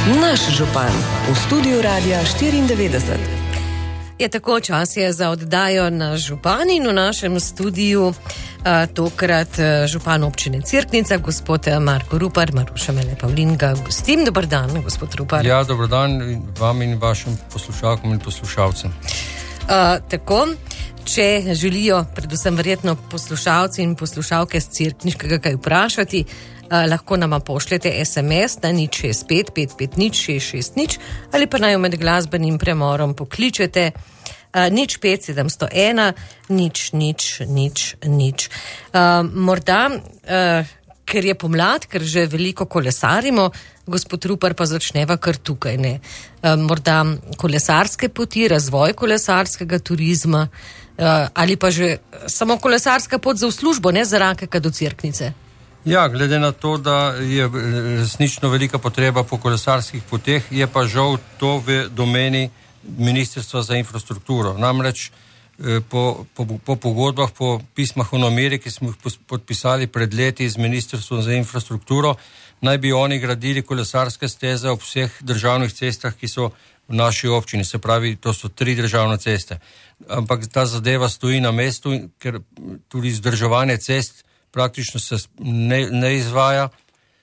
Naš župan v studiu Radia 94. Je tako, čas je za oddajo Naš župan in v našem studiu tokrat župan občine Cerknica, gospod Marko Rupar. Maruša Mele Pavlin ga gostim. Dobar dan, gospod Rupar. Ja, dobar dan vam in vašim poslušalkom in poslušalcem. Tako, če želijo predvsem verjetno poslušalci in poslušalke z Cerkniškega kaj vprašati, lahko nama pošljete SMS na 065 550 660 ali pa naj med glasbenim premorom pokličete 05 701 000. Morda, ker je pomlad, ker že veliko kolesarimo, gospod Rupar, pa začneva kar tukaj, ne? Morda kolesarske poti, razvoj kolesarskega turizma ali pa že samo kolesarska pot za v službo, ne za Rakeka do Cerknice. Ja, glede na to, da je resnično velika potreba po kolesarskih poteh, je pa žal to v domeni Ministrstva za infrastrukturo. Namreč po pogodbah, po pismah o nameri, ki smo jih podpisali pred leti z Ministrstvom za infrastrukturo, naj bi oni gradili kolesarske steze ob vseh državnih cestah, ki so v naši občini. Se pravi, to so 3 državne ceste. Ampak ta zadeva stoji na mestu, ker tudi vzdrževanje cest praktično se ne izvaja.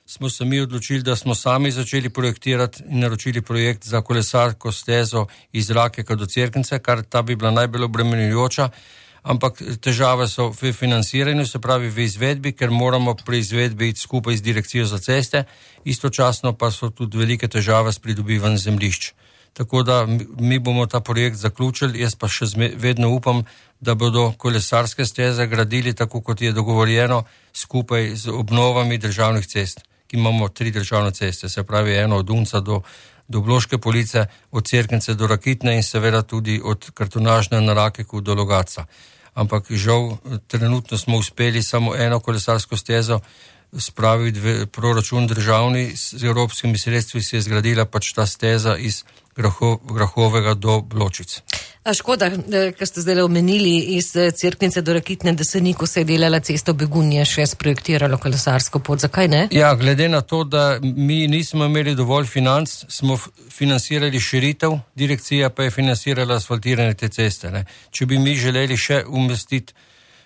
Smo se mi odločili, da smo sami začeli projektirati in naročili projekt za kolesarsko stezo iz Rakeka do Cerknice, kar ta bi bila najbolj obremenjujoča, ampak težave so v financiranju, se pravi v izvedbi, ker moramo pri izvedbi iti skupaj z Direkcijo za ceste, istočasno pa so tudi velike težave s pridobivanjem zemljišč. Tako da mi bomo ta projekt zaključili, jaz pa še vedno upam, da bodo kolesarske steze gradili tako, kot je dogovorjeno, skupaj z obnovami državnih cest, ki imamo 3 državne ceste, se pravi eno od Unca do Bloške Police, od Cerknice do Rakitne in seveda tudi od Kartonažne na Rakeku do Logatca. Ampak žal, trenutno smo uspeli samo eno kolesarsko stezo spraviti v proračun državni, z evropskimi sredstvi se je zgradila pač ta steza iz Grahovega do Bločic. A škoda, ker ste zdaj omenili iz Cerknice do Rakitne, da se ni, ko se je delala cesta Begunje, še sprojektiralo kolesarsko pot. Zakaj ne? Ja, glede na to, da mi nismo imeli dovolj financ, smo financirali širitev, direkcija pa je financirala asfaltiranje te ceste. Ne. Če bi mi želeli še umestiti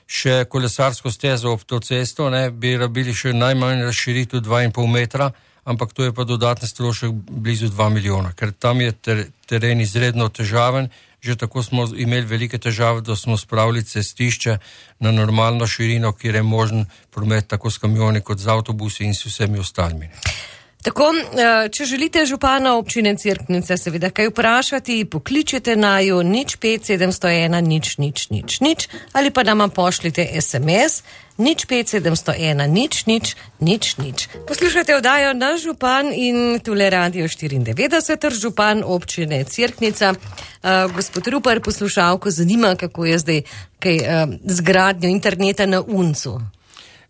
še kolesarsko stezo ob to cesto, ne, bi rabili še najmanj razširitev 2,5 metra, ampak to je pa dodatni strošek blizu 2 milijona, ker tam je teren izredno težaven. Že tako smo imeli velike težave, da smo spravili cestišče na normalno širino, kjer je možen promet tako s kamioni kot z avtobusi in s vsemi ostalimi. Tako, če želite župana občine Cerknice seveda kaj vprašati, pokličete naju 05 701 000 ali pa nama pošljite SMS 05 701 000. Poslušajte oddajo Naš župan in tule Radio 94, župan občine Cerknica. Gospod Rupar, poslušalko zanima, kako je zdaj z gradnjo interneta na Uncu.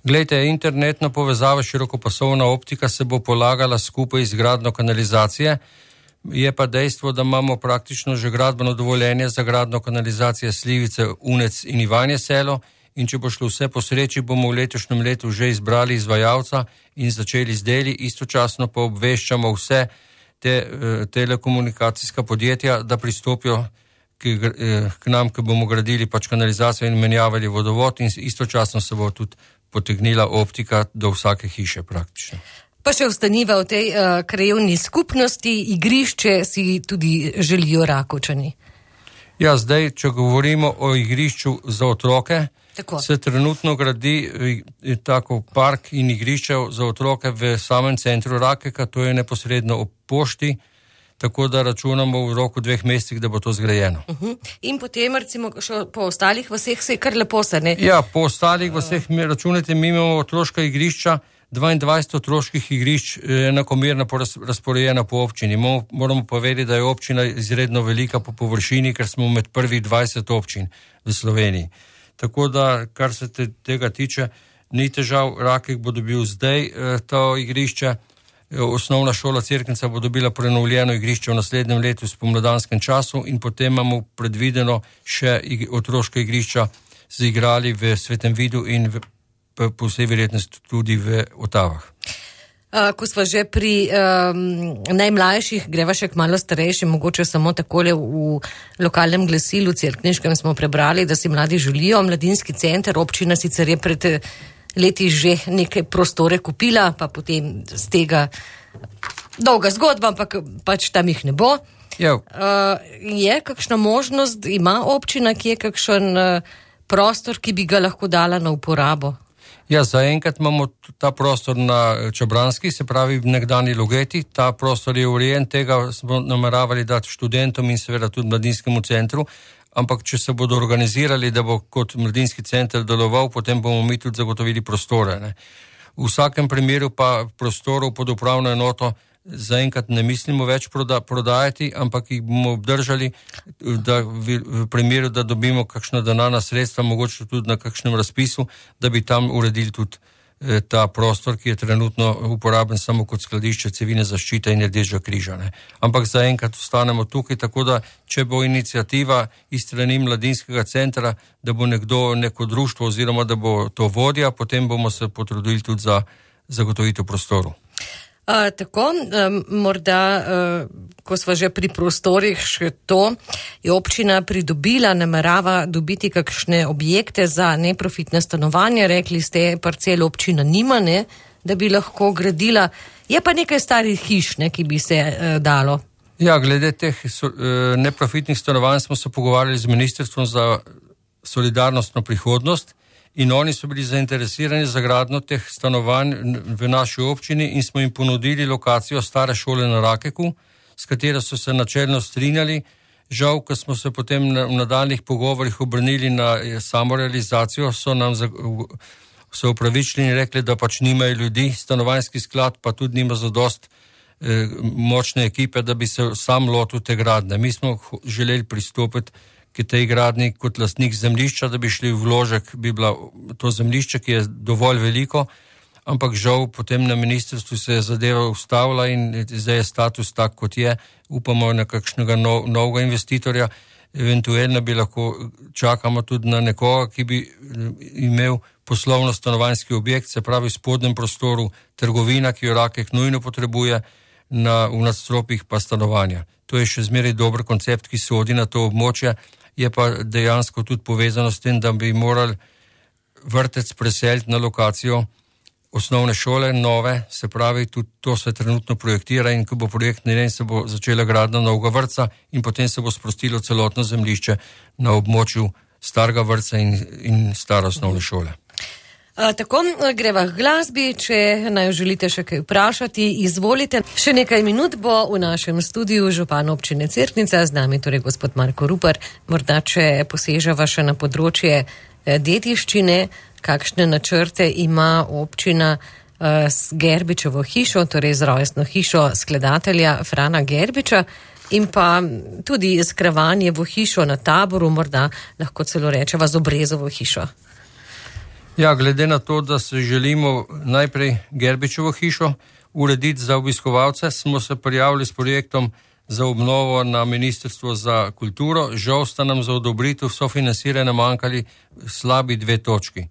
Glejte, internetna povezava, širokopasovna optika se bo polagala skupaj z gradnjo kanalizacije. Je pa dejstvo, da imamo praktično že gradbeno dovoljenje za gradnjo kanalizacije Slivice, Unec in Ivanje Selo in če bo šlo vse po sreči, bomo v letošnjem letu že izbrali izvajalca in začeli z deli, istočasno pa obveščamo vse te telekomunikacijska podjetja, da pristopijo k nam, ki bomo gradili pač kanalizacijo in menjavali vodovod in istočasno se bo tudi potegnila optika do vsake hiše praktično. Pa še ostaniva v tej krajevni skupnosti, igrišče si tudi želijo Rakovčani. Ja, zdaj, če govorimo o igrišču za otroke, tako se trenutno gradi tako park in igrišče za otroke v samem centru Rakeka, to je neposredno ob pošti, tako da računamo v roku 2 mesecih, da bo to zgrajeno. In potem recimo še po ostalih vaseh se je kar lepo se, ne? Ja, po ostalih vaseh, računajte, mi imamo otroška igrišča, 22 otroških igrišč enakomerno razporejena po občini. Moramo pa vedeti, da je občina izredno velika po površini, ker smo med prvih 20 občin v Sloveniji. Tako da, kar se tega tiče, ni težav, Rakek bo dobil zdaj to igrišče, Osnovna šola Cerknica bo dobila prenovljeno igrišče v naslednjem letu v spomladanskem času in potem imamo predvideno še otroška igrišča z igrali v Svetem Vidu in po vsej verjetnosti tudi v Otavah. Ko smo že pri najmlajših, greva še k malo starejšim, mogoče samo takole v lokalnem glasilu cerkniškem smo prebrali, da si mladi želijo mladinski center. Občina sicer je pred leti že neke prostore kupila, pa potem z tega dolga zgodba, ampak pač tam jih ne bo. Je kakšna možnost, ima občina, ki je kakšen prostor, ki bi ga lahko dala na uporabo? Ja, zaenkrat imamo ta prostor na Čabranski, se pravi v nekdani Logeti. Ta prostor je urejen, tega smo nameravali dati študentom in seveda tudi mladinskemu centru, ampak če se bodo organizirali, da bo kot mladinski center deloval, potem bomo mi tudi zagotovili prostore. Ne. V vsakem primeru pa prostorov pod upravno enoto zaenkrat ne mislimo več prodajati, ampak jih bomo obdržali, da v primeru, da dobimo kakšna denarna sredstva, mogoče tudi na kakšnem razpisu, da bi tam uredili tudi ta prostor, ki je trenutno uporaben samo kot skladišče civilne zaščite in Rdečega križa. Ne. Ampak zaenkrat ostanemo tukaj, tako da če bo iniciativa iz strani mladinskega centra, da bo neko društvo oziroma da bo to vodja, potem bomo se potrudili tudi za zagotovitev prostorov. Tako, morda, ko smo že pri prostorih, še to je občina pridobila, namerava dobiti kakšne objekte za neprofitne stanovanja. Rekli ste, parcel občina nima, ne, da bi lahko gradila. Je pa nekaj starih hiš, ne, ki bi se dalo. Ja, glede teh neprofitnih stanovanj smo se pogovarjali z Ministrstvom za solidarnostno prihodnost. In oni so bili zainteresirani za gradnjo teh stanovanj v naši občini in smo jim ponudili lokacijo stare šole na Rakeku, s katero so se načelno strinjali. Žal, ko smo se potem v nadaljnjih pogovorih obrnili na samorealizacijo, so nam se upravičili in rekli, da pač nimajo ljudi, stanovanjski sklad pa tudi nima zadost močne ekipe, da bi se sam lotil te gradnje. Mi smo želeli pristopiti k tej gradnji kot lastnik zemljišča, da bi šli v vložek, bi bila to zemljišče, ki je dovolj veliko, ampak žal potem na ministrstvu se je zadeva ustavila in zdaj je status tak, kot je. Upamo na kakšnega novega investitorja, eventualno bi lahko čakamo tudi na nekoga, ki bi imel poslovno stanovanjski objekt, se pravi v spodnjem prostoru trgovina, ki jo Rakek nujno potrebuje, v nadstropjih pa stanovanja. To je še zmeraj dober koncept, ki sodi na to območje, je pa dejansko tudi povezano s tem, da bi morali vrtec preseliti na lokacijo osnovne šole, nove, se pravi, tudi to se trenutno projektira in ko bo projekt narejen, se bo začela gradnja novega vrtca in potem se bo sprostilo celotno zemljišče na območju starega vrtca in stare osnovne šole. Tako, greva k glasbi, če naj želite še kaj vprašati, izvolite. Še nekaj minut bo v našem studiu župan občine Cerknica, z nami torej gospod Marko Rupar. Morda, če poseževa še na področje dediščine, kakšne načrte ima občina s Gerbičevo hišo, torej z rojstno hišo skladatelja Frana Gerbiča in pa tudi Skravanjevo hišo na Taboru, morda lahko celo rečeva z Obrezovo hišo. Ja, glede na to, da se želimo najprej Gerbičevo hišo urediti za obiskovalce, smo se prijavili s projektom za obnovo na Ministrstvo za kulturo. Žal sta nam za odobritev sofinansiranja manjkali slabi 2 točki.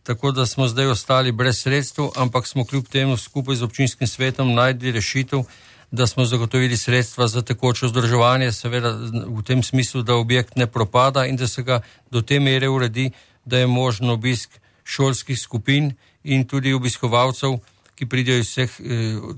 Tako da smo zdaj ostali brez sredstev, ampak smo kljub temu skupaj z občinskim svetom našli rešitev, da smo zagotovili sredstva za tekoče vzdrževanje, seveda v tem smislu, da objekt ne propada in da se ga do te mere uredi, da je možno obisk šolskih skupin in tudi obiskovalcev, ki pridejo iz vseh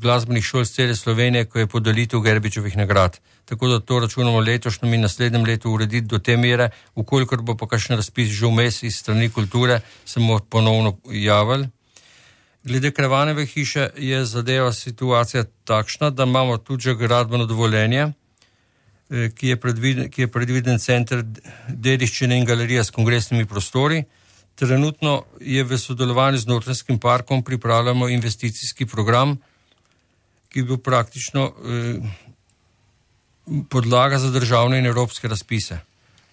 glasbenih šol z cele Slovenije, ko je podelitev Gerbičevih nagrad. Tako da to računamo letošnjem in naslednjem letu urediti do te mere, ukolikor bo pa kakšen razpis že vmes iz strani kulture, se bomo ponovno javili. Glede Kravanjeve hiše je zadeva situacija takšna, da imamo tudi že gradbeno dovoljenje, ki je predviden center dediščine in galerija s kongresnimi prostori. Trenutno je v sodelovanju z Notranjskim parkom pripravljamo investicijski program, ki bo praktično podlaga za državne in evropske razpise.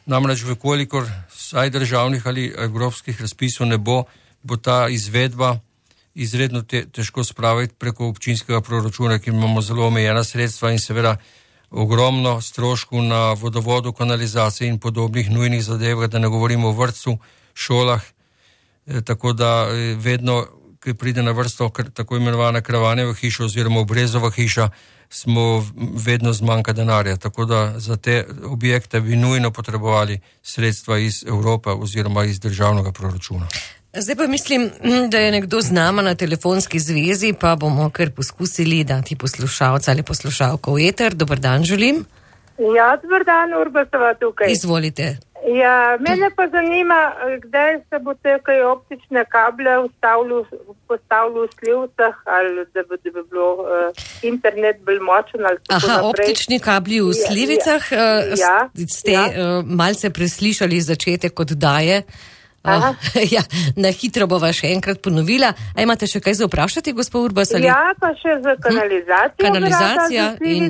Namreč, vkolikor vsaj državnih ali evropskih razpisov ne bo, bo ta izvedba izredno težko spraviti preko občinskega proračuna, ki imamo zelo omejena sredstva in seveda ogromno stroškov na vodovodu, kanalizaciji in podobnih nujnih zadevah, da ne govorimo o vrtcu, šolah, tako da vedno ki pride na vrsto tako imenovana Kravanjeva hiša oziroma Obrezova hiša, smo vedno zmanjka denarja. Tako da za te objekte bi nujno potrebovali sredstva iz Evrope oziroma iz državnega proračuna. Zdaj pa mislim, da je nekdo z nama na telefonski zvezi, pa bomo kar poskusili dati poslušalca ali poslušalko v eter. Dober dan želim. Ja, dober dan, Urbasova tukaj. Izvolite. Ja, mene pa zanima, kdaj se bo te kaj optične kable postavili v slivcah, ali da bi bilo internet bolj močen ali tako naprej. Optični kabli v slivicah, ste malce preslišali začetek oddaje. Ja, na hitro bova še enkrat ponovila. A imate še kaj za vprašati, gospod Urbas? Ali? Ja, pa še za kanalizacijo. Kanalizacija in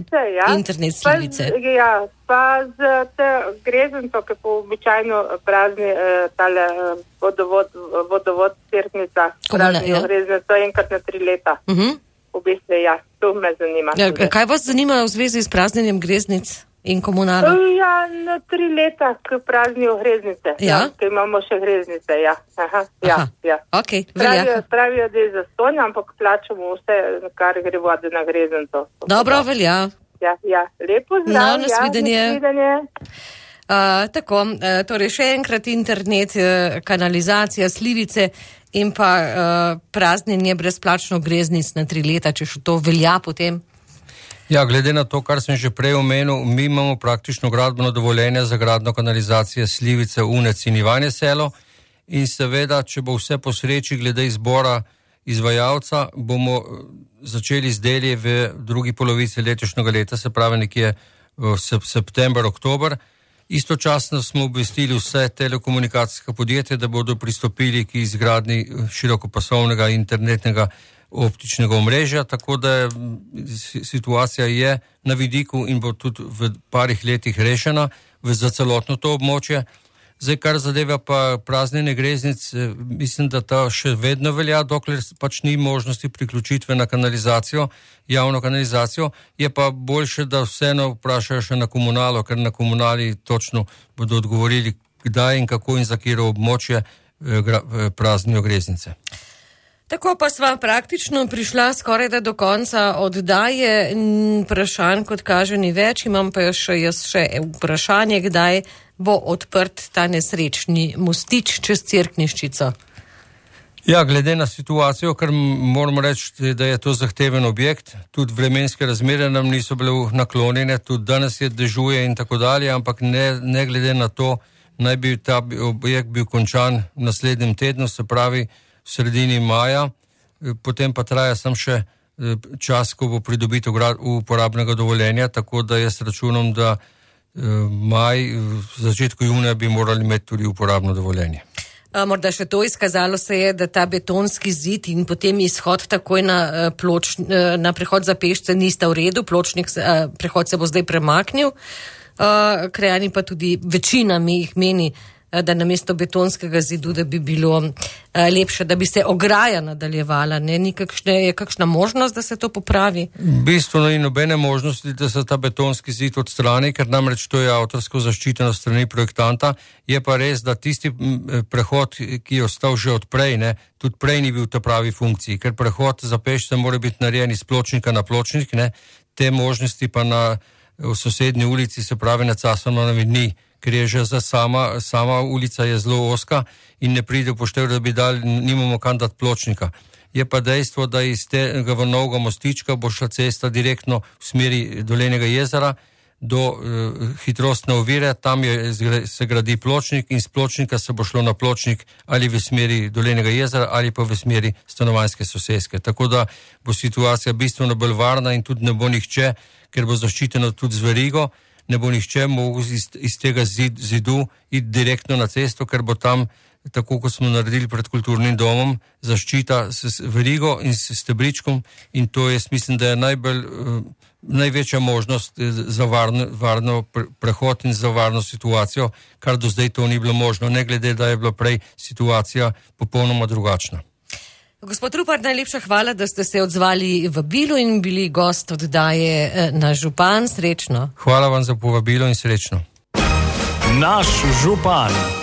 internet slivice. Ja, pa z te grezenco, ki po običajno prazni tale vodovod Cerknica, praznijo grezenco enkrat na 3 leta. V bistvu, ja, to me zanima. Ja, kaj vas zanima v zvezi s praznjenjem greznic in komunalo? Ja, na 3 leta, ki praznijo greznice. Ja? Ki imamo še greznice, ja. Ja. Okay, velja. Pravijo, da je zastonj, ampak plačamo vse, kar gre vode na grezenco. Dobro, velja. Ja. Lepo zdrav. No, nasvidenje. Tako, torej še enkrat internet, kanalizacija, slivice in pa praznjenje brezplačno greznic na 3 leta, če še to velja potem. Ja, glede na to, kar sem že prej omenil, mi imamo praktično gradbeno dovoljenje za gradno kanalizacije Slivice, Unec in Ivanje Selo in seveda, če bo vse po sreči glede izbora izvajalca, bomo začeli z deli v drugi polovici letošnjega leta, se pravi nekje v september, oktober. Istočasno smo obvestili vse telekomunikacijske podjetje, da bodo pristopili k izgradnji širokopasovnega internetnega optičnega omrežja, tako da situacija je na vidiku in bo tudi v parih letih rešena za celotno to območje. Zdaj, kar zadeva pa praznjenje greznic, mislim, da ta še vedno velja, dokler pač ni možnosti priključitve na kanalizacijo, javno kanalizacijo, je pa boljše, da vseeno vprašajo še na komunalo, ker na komunali točno bodo odgovorili, kdaj in kako in za katero območje praznijo greznice. Tako pa sva praktično prišla skoraj da do konca oddaje. Vprašanj, kot kaže, ni več. Imam pa jaz še vprašanje, kdaj bo odprt ta nesrečni mostič čez Cerkniščico. Ja, glede na situacijo, ker moramo reči, da je to zahteven objekt, tudi vremenske razmere nam niso bile naklonjene, tudi danes je dežuje in tako dalje, ampak ne glede na to, naj bi ta objekt bil končan v naslednjem tednu, se pravi v sredini maja, potem pa traja sam še čas, ko bo pridobitev uporabnega dovoljenja, tako da jaz računam, da maj, v začetku junija bi morali imeti tudi uporabno dovoljenje. Morda še to izkazalo se je, da ta betonski zid in potem izhod takoj na prehod za pešce nista v redu, prehod se bo zdaj premaknil, krajani pa tudi večina mi jih meni, da namesto betonskega zidu, da bi bilo lepše, da bi se ograja nadaljevala. Je kakšna možnost, da se to popravi? Bistveno ni nobene možnosti, da se ta betonski zid odstrani, ker namreč to je avtorsko zaščiteno strani projektanta. Je pa res, da tisti prehod, ki je ostal že od prej, tudi prej ni bil v ta pravi funkciji, ker prehod za pešce mora biti narejen iz pločnika na pločnik, te možnosti pa v sosednji ulici, se pravi na Casanovi ni, ker je že sama ulica je zelo oska in ne pride upoštev, da bi nimamo kam dati pločnika. Je pa dejstvo, da iz tega novega mostička bo šla cesta direktno v smeri Dolenjega jezera do hitrostne ovire, tam se gradi pločnik in z pločnika se bo šlo na pločnik ali v smeri Dolenjega jezera ali pa v smeri stanovanjske soseske. Tako da bo situacija bistveno bolj varna in tudi ne bo nihče, ker bo zaščiteno tudi z verigo, ne bo nihče mogel iz tega zidu iti direktno na cesto, ker bo tam, tako kot smo naredili pred kulturnim domom, zaščita s verigo in s stebričkom in to jaz mislim, da je največja možnost za varno prehod in za varno situacijo, kar do zdaj to ni bilo možno, ne glede, da je bila prej situacija popolnoma drugačna. Gospod Rupar, najlepša hvala, da ste se odzvali vabilu in bili gost oddaje Naš župan. Srečno. Hvala vam za povabilo in srečno. Naš župan.